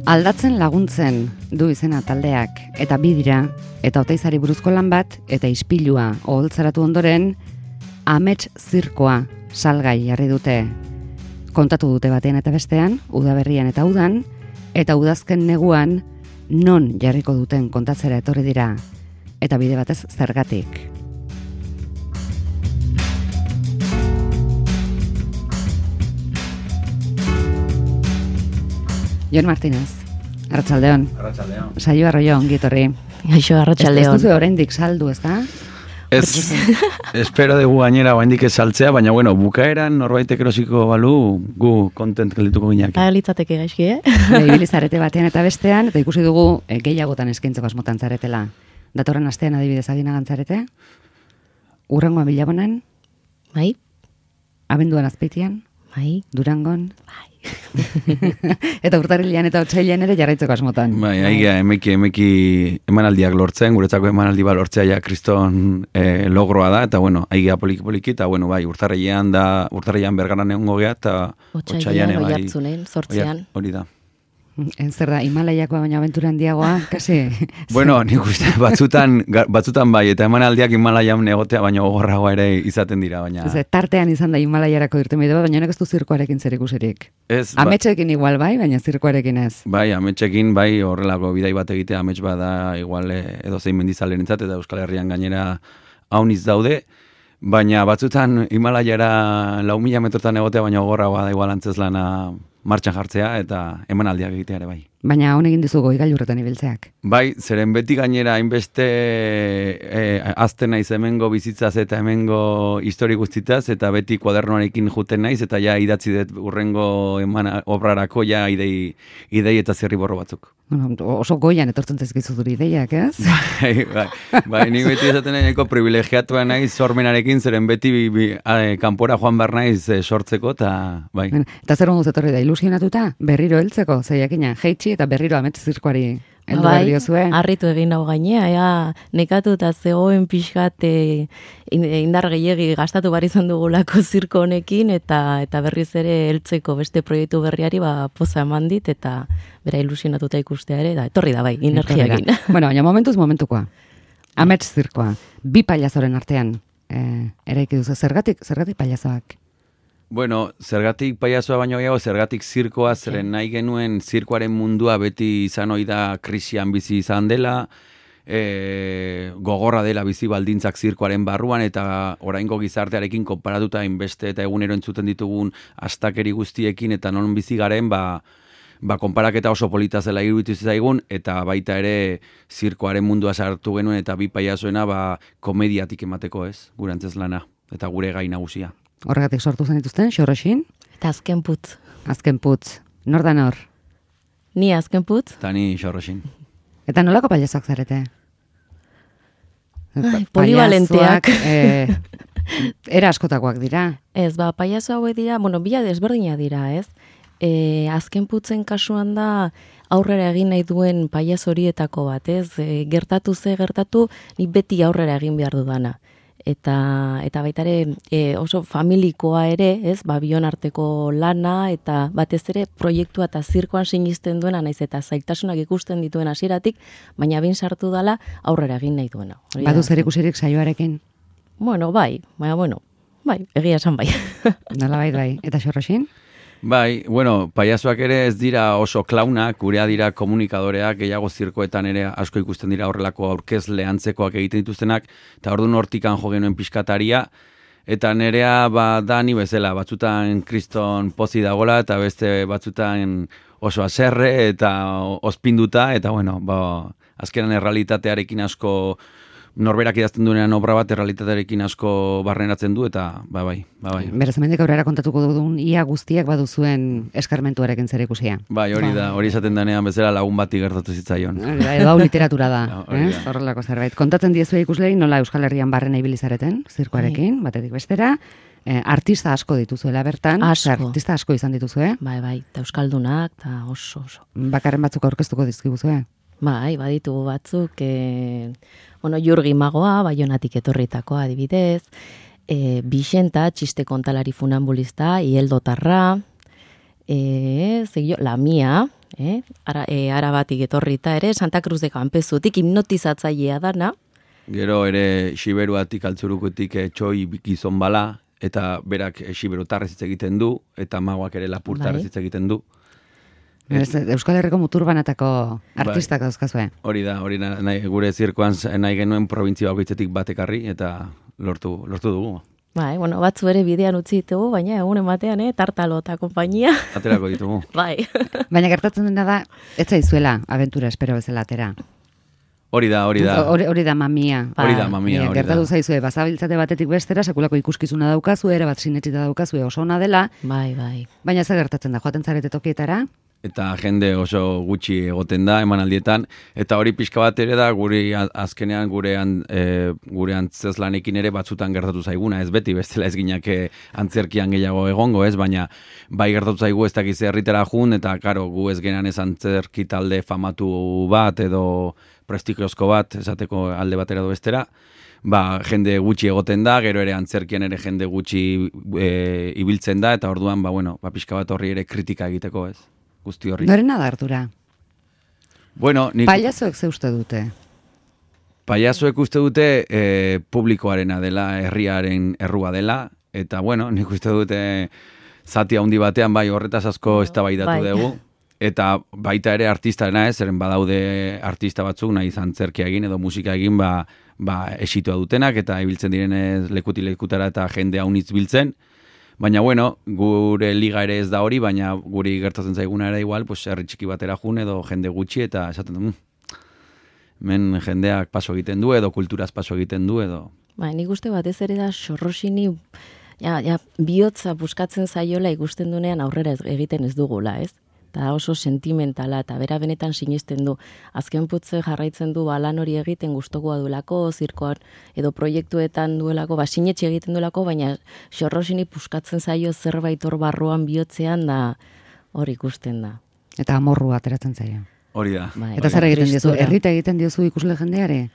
Aldatzen laguntzen du izena taldeak, eta bi dira, eta Oteizari buruzko lan bat, eta ispilua oholtzaratu ondoren, amets zirkoa salgai jarri dute. Kontatu dute batean eta bestean, udaberrian eta udan, eta udazken neguan non jarriko duten kontatzera etorri dira, eta bide batez zergatik. Jon Martínez, arratsaldeon. Arratsaldeon. Saio Arroyo, ongi etorri. Gaixo, arratsaldeon. Ez duzu oraindik saldu, ezta? Ez, espero dugu gainera oraindik ez saltzea, baina bueno, bukaeran norbaitek erosiko balu, gu kontent geldituko ginak. Litzateke gaizki, Ibili zarete batean eta bestean, eta ikusi dugu gehiagotan eskaintzeko asmotan zaretela. Datorren astean adibidez aginagan zarete? Urrengoan Bilabonan? Bai. Abenduan Azpeitian? Bai. Durangon? Bai. Eta urtarrilean eta otsailean ere jarraitzeko asmotan. Bai, aiga, emeki emanaldiak lortzen, guretzako emanaldi ba lortzea ja kriston logroa da, eta bueno, aiga poliki, eta bueno, bai, urtarrilean Bergaran egongo gea, eta otsailean bai. Oiartzunen, 8an. Hori da. Zer da, Himalaiakoa baina abentura handiagoa, kasi? Bueno, nik uste batzutan bai, eta emanaldiak Himalaian egotea, baina gogorragoa ere izaten dira, baina... Tartean izan da Himalaiarako irtenbide bat, baina honek ez du zirkoarekin zer ikusirik. Ez, ametsekin igual bai, baina zirkoarekin ez. Bai, ametsekin, bai, horrelako bidai bat egitea amets bada igual edozein mendizalerentzat eta Euskal Herrian gainera hauniz daude, baina batzutan Himalaiara 4.000 metrotan egotea, baina gogorragoa da igual antzeslana martxan jartzea eta emanaldiak egitea ere bai. Baina honekin dizu goigailurretan ibiltzeak. Bai, zeren beti gainera hainbeste azten naiz hemengo bizitzaz eta hemengo histori guztitaz, eta beti kuadernoarekin juten naiz, eta ja idatzi dut urrengo obrarako ja idei eta zirriborro batzuk. Bueno, oso goian etortzen zaizkizu duri ideiak, ez? Bai, nik beti esaten nahiko privilegiatua naiz sormenarekin, zeren beti kanpora joan behar naiz sortzeko, eta bai. Eta zer onduz etorri da, ilusionatuta? Berriro heltzeko, zeiakina, jeitsi eta berriro amets zirkoari heldu behar diozue. Harritu egin hau gainea, nekatuta zegoen pixkat indar gehiegi gastatu bar izan dugulako zirko honekin, eta berriz ere heltzeko beste proiektu berriari poza eman dit, eta bera ilusionatuta ikustea ere, da etorri da bai, energiakin. Bueno, baina momentuz momentukoa. Amets zirkoa, bi pailazoren artean eraiki duzu, zergatik pailazoak? Bueno, zergatik paiazoa baino gehiago, zergatik zirkoa, zeren nahi genuen zirkoaren mundua beti izan ohi da krisian bizi izan dela, gogorra dela bizi baldintzak zirkoaren barruan, eta oraingo gizartearekin konparatuta inbeste eta egunero entzuten ditugun astakeri guztiekin, eta non bizi garen, konparaketa oso polita zela iruditu zaigun, eta baita ere zirkoaren mundua sartu genuen, eta bi paiazoena komediatik emateko ez, gure antzeslana, eta gure gai nagusia. Horregatik sortu zen dituzten, Xorroxin? Eta Azken Putz. Azken Putz. Nor da nor? Ni Azken Putz. Eta ni Xorroxin. Eta nolako pailazoak zarete? Polivalenteak. Era askotakoak dira. Ez, pailazo hauek dira, bila desberdina dira, ez? Azken Putzen kasuan da aurrera egin nahi duen pailazo horietako bat, ez? Gertatu, ni beti aurrera egin behar dudana. Eta baita ere oso familikoa ere, ez, bion arteko lana, eta batez ere proiektua eta zirkoan sinisten duena, naiz eta zailtasunak ikusten dituen hasieratik, baina bin sartu dala aurrera egin nahi duena. Badu zer ikusirik saioarekin? Bueno, bai, egia esan bai. Nola bai. Eta Xorroxin? Bai, bueno, paiazoak ere ez dira oso klaunak, gurea dira komunikadoreak, gehiago zirkoetan ere asko ikusten dira horrelako aurkezle antzekoak egiten dituztenak, eta orduan hortikan jo genuen pixkataria, eta nerea da ni bezala, batzutan kriston pozi dagola, eta beste batzutan oso aserre eta ospinduta, eta bueno, azkenan errealitatearekin asko norberak idazten duenean obra bat errealitatearekin asko barneratzen du, eta bai. Beraz, hemendik aurrera kontatuko duen ia guztiak baduzuen eskarmentuarekin zer ikusia. Bai, hori da, hori esaten denean bezala lagun bati gertatu zitzaion. Edo hau literatura da, horrelako zerbait. Kontatzen diezue ikusleri nola Euskal Herrian barrena ibili zareten, zirkoarekin, batetik bestera, artista asko dituzuela bertan, artista asko izan dituzue. Bai, eta euskaldunak, eta oso. Bakarren batzuk aurkeztuko dizkiguzue? Bai, baditugu batzuk, Jurgi Magoa, Baionatik etorritakoa adibidez, Bixenta, txiste kontalari funambulista, Ieldo Tarra, La Mia, Arabatik etorrita ere, Santa Cruz de Campezutik hipnotizatzailea dana. Gero ere Xiberuatik altzurukotik txoi gizon bala, eta berak xiberutarrez hitz egiten du, eta magoak ere lapurtarrez hitz egiten du. Euskal Herriko muturbanatako artistak dauzkazue. Hori da, gure zirkoan nahi genuen provintzia bakoitzetik batekarri, eta lortu dugu. Bai, bueno, batzu ere bidean utzi ditugu, baina egunen batean, Tartalo eta konpainia. Aterako ditugu. Bai. Baina gertatzen dena da, ez zaizuela abentura espero bezala atera. Hori da. Hori da mamia. Hori da mamia. Gertatu zaizue, bazabiltzate batetik bestera, sekulako ikuskizuna daukazu, ere bat sinetxita daukazu, oso ona dela. Bai. Baina zer gertatzen da, joaten zarete tokietara? Eta jende oso gutxi egoten da emanaldietan, eta hori pixka bat ere da azkenean gure antzezlanekin ere batzutan gertatu zaiguna, ez beti bestela ez ginak antzerkian gehiago egongo, ez, baina bai gertatu zaigu ez dakiz herritara jun, eta karo, gu ez genan ez antzerki talde famatu bat edo prestigiozko bat, esateko alde batera edo bestera, jende gutxi egoten da, gero ere antzerkian ere jende gutxi ibiltzen da, eta orduan, pixka bat horri ere kritika egiteko, ez. Guzti horri. Norena da, Artura? Bueno, Pailazoek ze uste dute? Pailazoek uste dute publikoarena dela, herriaren errua dela, eta nik uste dute zati handi batean horretaz asko eztabaidatu dugu, eta baita ere artistarena ez, zeren badaude artista batzuk nahi antzerkia egin edo musika egin esitua dutenak, eta ibiltzen direnez lekutara eta jende haunitz biltzen. Baina, gure liga ere ez da hori, baina guri gertatzen zaiguna ere igual, herri txiki batera jun edo jende gutxi, eta esaten du, men jendeak paso egiten du, edo kulturaz paso egiten du, edo... Nik uste batez ere da Sorrosini, bihotza buskatzen zaiola ikusten dunean aurrera egiten ez dugula, ez? Eta oso sentimentala, eta bera benetan sinesten du. Azken putze jarraitzen du lan hori egiten gustokoa duelako, zirkoan edo proiektuetan duelako, sinetxe egiten duelako, baina Sorrosini puskatzen zaio zerbait hor barruan bihotzean da hor ikusten da. Eta amorrua ateratzen zaio. Hori da. Eta zer egiten diozu? Errita egiten diozu ikusle jendeare?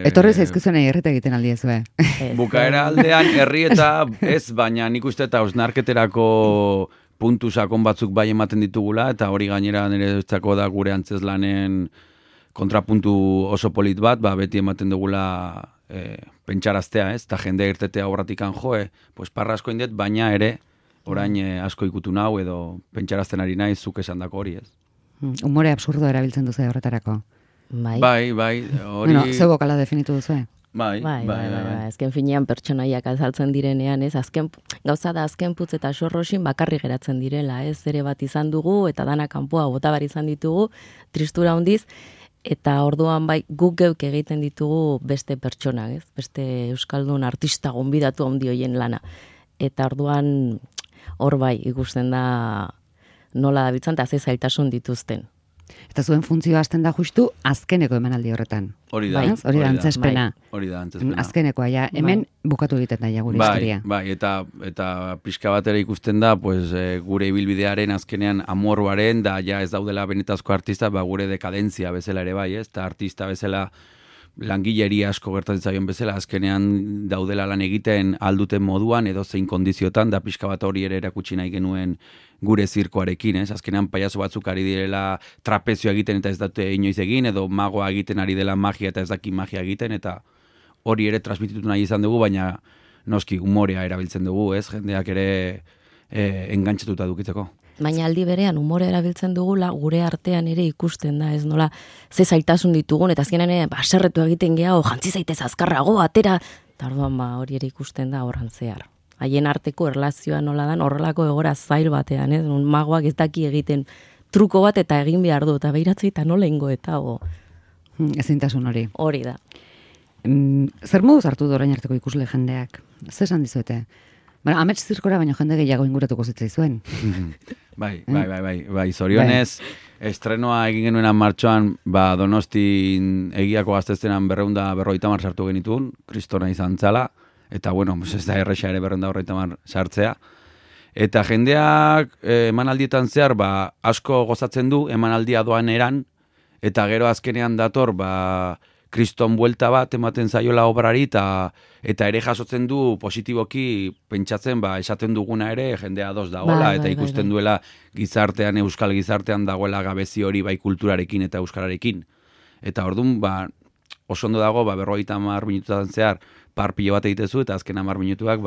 Etorri zaizkizuen errita egiten aldiezue. Bukaera aldean herri eta ez, baina nik uste eta osnarketerako puntu sakon batzuk bai ematen ditugula, eta hori gainera nire da gure antzezlanen kontrapuntu oso polit bat, beti ematen dugula pentsaraztea, ez? Eta jende irtetea obratikan parra asko indet, baina ere orain asko ikutu nau edo pentsarazten ari nahi zuk esan dako hori, ez? Humore absurdo erabiltzen duzu horretarako. Bai, hori... Zeu bokala definitu duzu, Bai. Azken finean pertsonaiak azaltzen direnean, ez? Gauza da azken putz eta Sorrosin bakarri geratzen direla, ez? Ere bat izan dugu, eta dana kanpoa botabar izan ditugu, tristura handiz, eta orduan guk geuk egiten ditugu beste pertsonak, ez? Beste euskaldun artista gonbidatu handi hoien lana. Eta orduan hor ikusten da nola dabiltzan, eta ze zailtasun dituzten. Eta zuen funtzioa hasten da justu azkeneko emanaldi horretan. Hori da. Hori da antzespena. Hori da antzespena. Azkenekoa, hemen bukatu egiten da gure historia. Bai, eta pixka batera ikusten da, gure ibilbidearen azkenean amorruaren, da ez daudela benetazko artista, gure dekadentzia bezala ere bai, ez? Eta artista bezala langileria asko gertatzen zaion bezala, azkenean daudela lan egiten alduten moduan, edo zein kondiziotan, da pixka bat hori ere erakutsi nahi genuen gure zirkoarekin, ez? Azkenean paiazo batzuk ari direla trapezioa egiten eta ez dute inoiz egin, edo magoa egiten ari dela magia eta ez daki magia egiten, eta hori ere transmititu nahi izan dugu, baina noski humorea erabiltzen dugu, ez? Jendeak ere engantxatuta dukitzeko. Baina aldi berean humore erabiltzen dugula gure artean ere ikusten da, ez nola ze zailtasun ditugun, eta azkenean baserretu egiten gehiago, jantzi zaitez azkarrago, atera, eta orduan hori ere ikusten da horran zehar. Haien arteko erlazioa nola dan horrelako egora zail batean, ez? Magoak ez daki egiten truko bat eta egin behar du, eta behiratzei eta nola ingo eta ezintasun hori. Hori da. Zer moduz hartu du orain arteko ikusle jendeak? Zer esan dizuete? Amets zirkora baino jende gehiago inguratuko zitzaizuen. Bai, zorionez, estrenoa egin genuenan martxoan, Donostin egiako gazteztenan 250 sartu genituen, kristona izan zala, eta ez da erresa ere 250 sartzea. Eta jendeak emanaldietan zehar, asko gozatzen du emanaldia doan eran, eta gero azkenean dator, kriston buelta bat ematen zaiola obrari, eta ere jasotzen du positiboki pentsatzen, esaten duguna ere jendea ados dagoela, eta ikusten duela gizartean, euskal gizartean dagoela gabezi hori bai kulturarekin eta euskararekin. Eta orduan, oso ondo dago, 50 minututan zehar parpilo bat egitezu, eta azken 10 minutuak,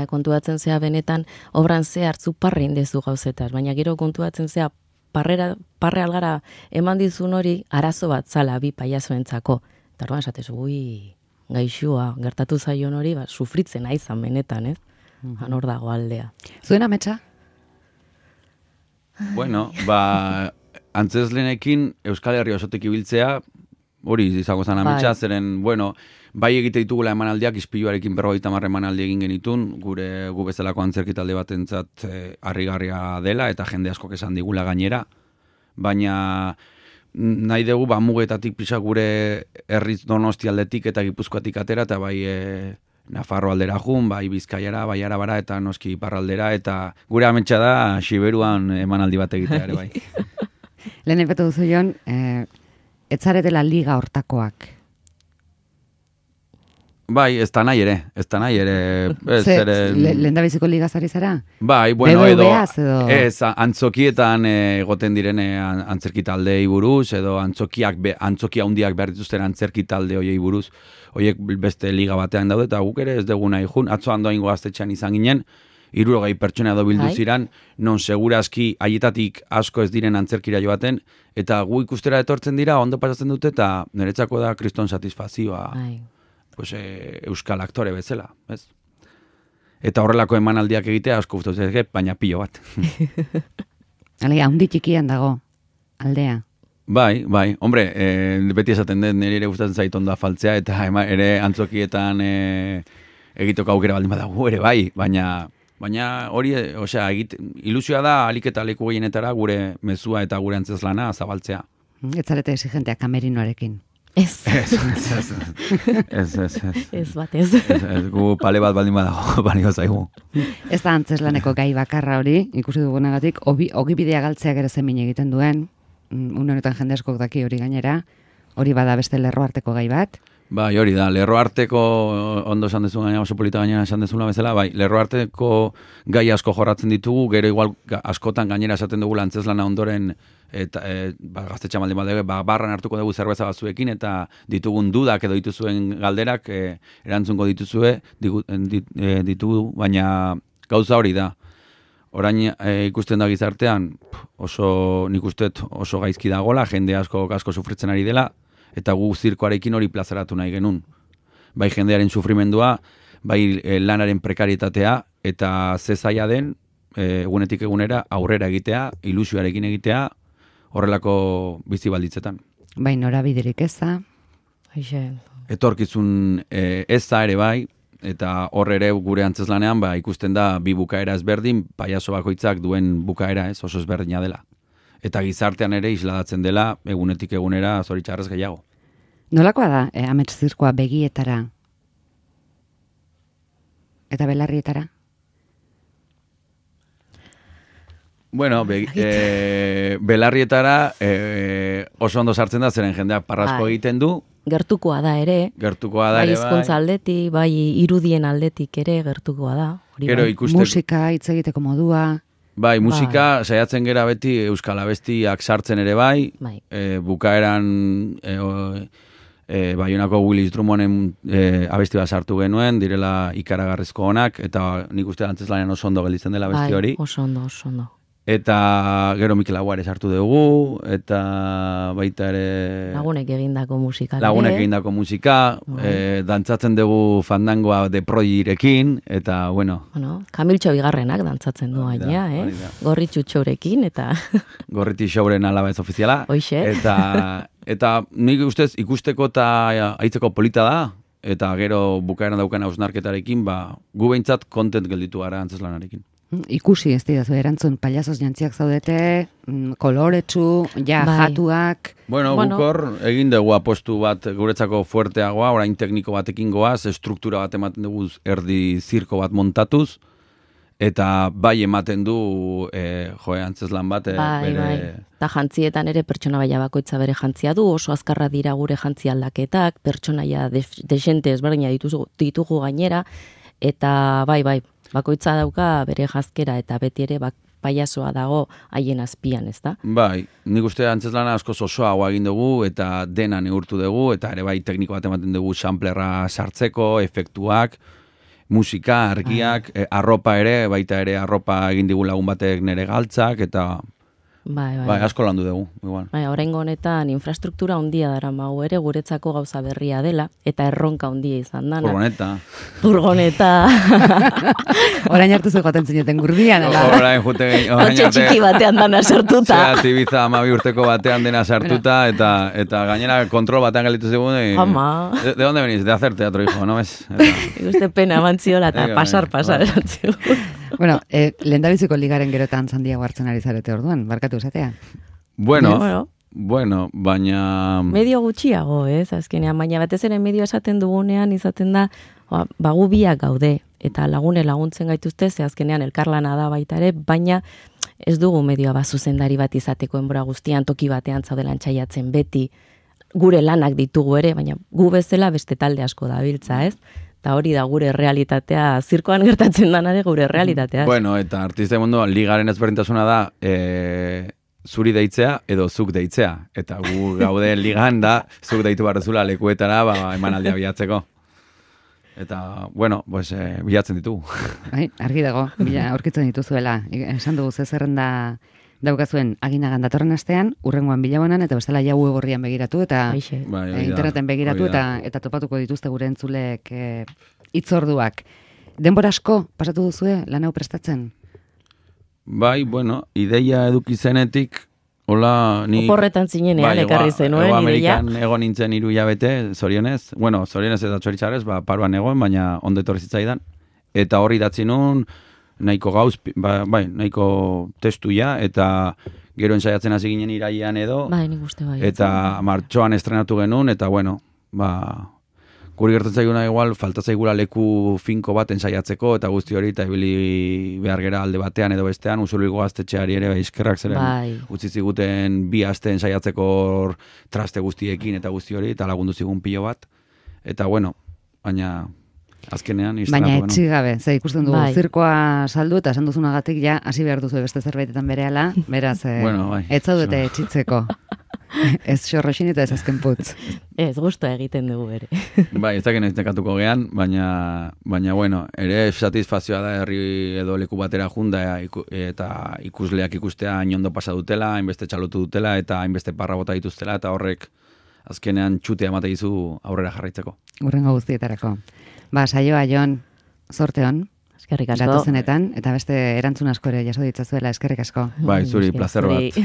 kontuatzen zea benetan, obran zehar zu parre indezu gauzetar, baina gero kontuatzen zea parre algara eman dizun hori arazo bat zala bi paiazoentzako. Eta orduan esatez, gaixua, gertatu zaion hori, sufritzen aizan benetan, ez? Hor dago aldea. Zuen ametsa? Bueno, antzeslenekin Euskal Herria osotik ibiltzea, hori izango zen ametsa, zeren, bai egite ditugula emanaldiak, ispiluarekin 50 emanaldi egin genitun, gu bezalako antzerki talde batentzat harrigarria dela, eta jende askok esan digula gainera, baina nahi dugu mugetatik pisa gure herriz Donosti aldetik eta Gipuzkoatik atera, eta bai Nafarro aldera jun, bai Bizkaiara, bai Arabara, eta noski iparraldera, eta gure ametsa da Siberuan emanaldi bat egitea ere bai. Lehen epatu duzu Jon, etzaretela liga hortakoak. Bai, ez da nahi ere. Lehen da biziko ligazari zara? Bai, edo... Ez, antzokietan egoten direne antzerki taldei buruz, edo antzoki handiak behar dituzten antzerki talde hoiei buruz, hoiek beste liga batean daude, eta guk ere ez dugu nahi jun. Atzo handoaingo gaztetxean izan ginen, 60 pertsona edo bildu ziran, non segurazki haietatik asko ez diren antzerkira joaten, eta gu ikustera etortzen dira, ondo pasatzen dute, eta niretzako da kriston satisfazioa. Euskal aktore bezala, ez? Eta horrelako emanaldiak egitea asko gustatzen zaiz, baina pilo bat. Alega, handi txikian dago, aldea. Bai, hombre, beti esaten den, nire ere gustatzen zait ondo afaltzea, eta ere antzokietan egiteko aukera baldin badago ere bai, baina hori, ilusioa da alik eta leku gehienetara gure mezua eta gure antzeslana zabaltzea. Ez zarete exigentea kamerinoarekin. Ez. Ez batez. Gu pale bat baldin badago, balio zaigu. Ez da antzeslaneko gai bakarra hori, ikusi dugunagatik, ogibidea galtzeak ere zemin egiten duen, une honetan jende askok daki hori gainera, hori bada beste lerroarteko gai bat. Bai, hori da, lerroarteko, ondo esan dezun gaina, oso polita gainera esan dezun bezala, bai, lerroarteko gai asko jorratzen ditugu, gero igual askotan gainera esaten dugula antzeslana ondoren, eta gaztetxa maldi barran hartuko dugu zerbeza batzuekin, eta ditugun dudak edo dituzuen galderak erantzungo ditugu, baina gauza hori da. Orain ikusten da gizartean, nik usteet oso gaizki dagola, jende asko sufritzen ari dela, eta gu zirkoarekin hori plazaratu nahi genuen. Bai jendearen sufrimendua, bai lanaren prekarietatea, eta zezaia den, egunetik egunera aurrera egitea, ilusioarekin egitea, horrelako bizi balditzetan. Bai, norabiderik eza. Etorkizun eza ere bai, eta hor ere gure antzeslanean ikusten da bi bukaera ezberdin, paiazo bakoitzak duen bukaera oso ezberdina dela. Eta gizartean ere isladatzen dela egunetik egunera zoritxarrez gehiago. Nolakoa da amets zirkoa begietara? Eta belarrietara? Bueno, belarrietara oso ondo sartzen da, zeren jendeak parrasko egiten du. Gertukoa da ere. Bai. Hizkuntza aldetik, bai irudien aldetik ere gertukoa da. Musika, hitz egiteko modua. Bai, musika, saiatzen gera beti euskal abestiak sartzen ere bai. Bukaeran Baionako Willis Drummonden abesti bat sartu genuen, direla ikaragarrizko onak, eta nik uste antzeslanean oso ondo gelditzen dela abesti hori. Oso ondo. Eta gero Mikel Agua ere sartu dugu, eta baita ere... Lagunek egindako musika, dantzatzen dugu fandangoa de Prodigirekin, eta bueno... Kamiltxo bigarrenak dantzatzen du gaina, Gorritxu txorekin, eta... Gorriti xauren alaba ez ofiziala. Hoixe. Eta nik ustez ikusteko eta aitzeko polita da, eta gero bukaeran daukan hausnarketarekin, gu behintzat kontent gelditu gara antzeslanarekin. Ikusi ez didazu erantzun, pailazoz jantziak zaudete, koloretsu, jatuak... Bueno, gukor egin dugu apostu bat guretzako fuerteagoa, orain tekniko batekin goaz, struktura bat ematen dugu erdi zirko bat montatuz, eta bai ematen du antzeslan bat bere... Eta jantzietan ere pertsonaia bakoitza bere jantzia du, oso azkarra dira gure jantzi aldaketak, pertsonaia desente ezberdina ditugu gainera, eta bai, bakoitza dauka bere jazkera eta beti ere paiazoa dago haien azpian, ez da? Bai, nik uste antzeslana askoz osoagoa egin dugu eta dena neurtu dugu, eta ere bai tekniko bat ematen dugu samplerra sartzeko, efektuak, musika, argiak, arropa ere, baita ere arropa egin digu lagun batek nere galtzak, eta bai, asko landu dugu. Igual. Bai, oraingo honetan infrastruktura handia daramagu ere guretzako gauza berria dela, eta erronka handia izan dana. Furgoneta. Orain hartu zegoaten zineten gurdian, ala? Orain jute... Otxe txiki batean dana sartuta. Zera, Ibiza 12 urteko batean dena sartuta, eta gainera kontrol batean galitu zegoen. Ama. ¿De dónde venís? De hacer teatro, hijo, ¿no ves? Iguste pena emantziola eta pasar, erantzio. Bueno, lehendabiziko ligaren gerotan zandiago hartzen ari zarete orduan, barkatu esatea. Bueno, baina... Medio gutxiago, azkenean, baina batez ere medio esaten dugunean izaten da, bagu biak gaude, eta laguntzen gaituzte, ze azkenean elkarlana da baita ere, baina ez dugu medioa zuzendari bat izateko enbora guztian, toki batean zaudelan txaiatzen beti, gure lanak ditugu ere, baina gu bezala beste talde asko dabiltza, ez? Eta hori da gure realitatea, zirkoan gertatzen danare gure realitatea. Bueno, eta artista munduan ligaren ezberdintasuna da zuri deitzea edo zuk deitzea. Eta gu gaude ligan da, zuk deitu barrezula lekuetara emanaldia bilatzeko. Eta, bueno, pues, bilatzen ditugu. Argi dago, aurkitzen dituzuela. Esan dugu zerrenda daukazuen aginagan datorren astean, urrengoan bilabonan, eta bestela jau egorrian begiratu, eta interneten begiratu, eta topatuko dituzte gure entzulek hitzorduak. Denbora asko pasatu duzue lan hau prestatzen? Bai, bueno, ideia eduki zenetik, hola, ni... Oporretan zinenean, ekarri zenuen, ideia. Amerikan egon nintzen 3 hilabete, zorionez. Bueno, zorionez eta txoritzarez, paruan egon, baina ondo etorri zitzaidan. Eta horri datzi nun, nahiko gauz, nahiko testuia, eta gero ensaiatzen hasi ginen irailean edo, nik uste bai. Eta martxoan estrenatu genuen, eta bueno, guri gertatzen zaiguna igual, falta zaigula leku finko bat ensaiatzeko, eta guzti hori, eta ibili behar gera alde batean edo bestean, Usurbilgo gaztetxeari ere, eskerrak zeren, utzi ziguten 2 aste ensaiatzeko traste guztiekin eta guzti hori, eta lagundu zigun pilo bat, eta bueno, baina... Azkenean, baina etxigabe, ze ikusten dugu zirkoa saldu eta esan duzunagatik ja hasi behar duzu beste zerbaitetan berehala, beraz, ez zaudete etxitzeko. Ez xorroxin eta ez azken putz. Ez, guztua egiten dugu bere. Bai, ez dakit nekatuko gehan, baina bueno, ere satisfazioa da herri edo leku batera junda eta ikusleak ikustea hain pasa dutela, hainbeste txalotu dutela eta hainbeste parra bota dituztela, eta horrek azkenean txutea emate dizu aurrera jarraitzeko. Urrengo guztietako. Saioa, Jon, zorte hon. Eskerrik asko. Datozenetan, eta beste erantzun asko ere jaso ditzazuela, eskerrik asko. Bai, zuri, plazer bat.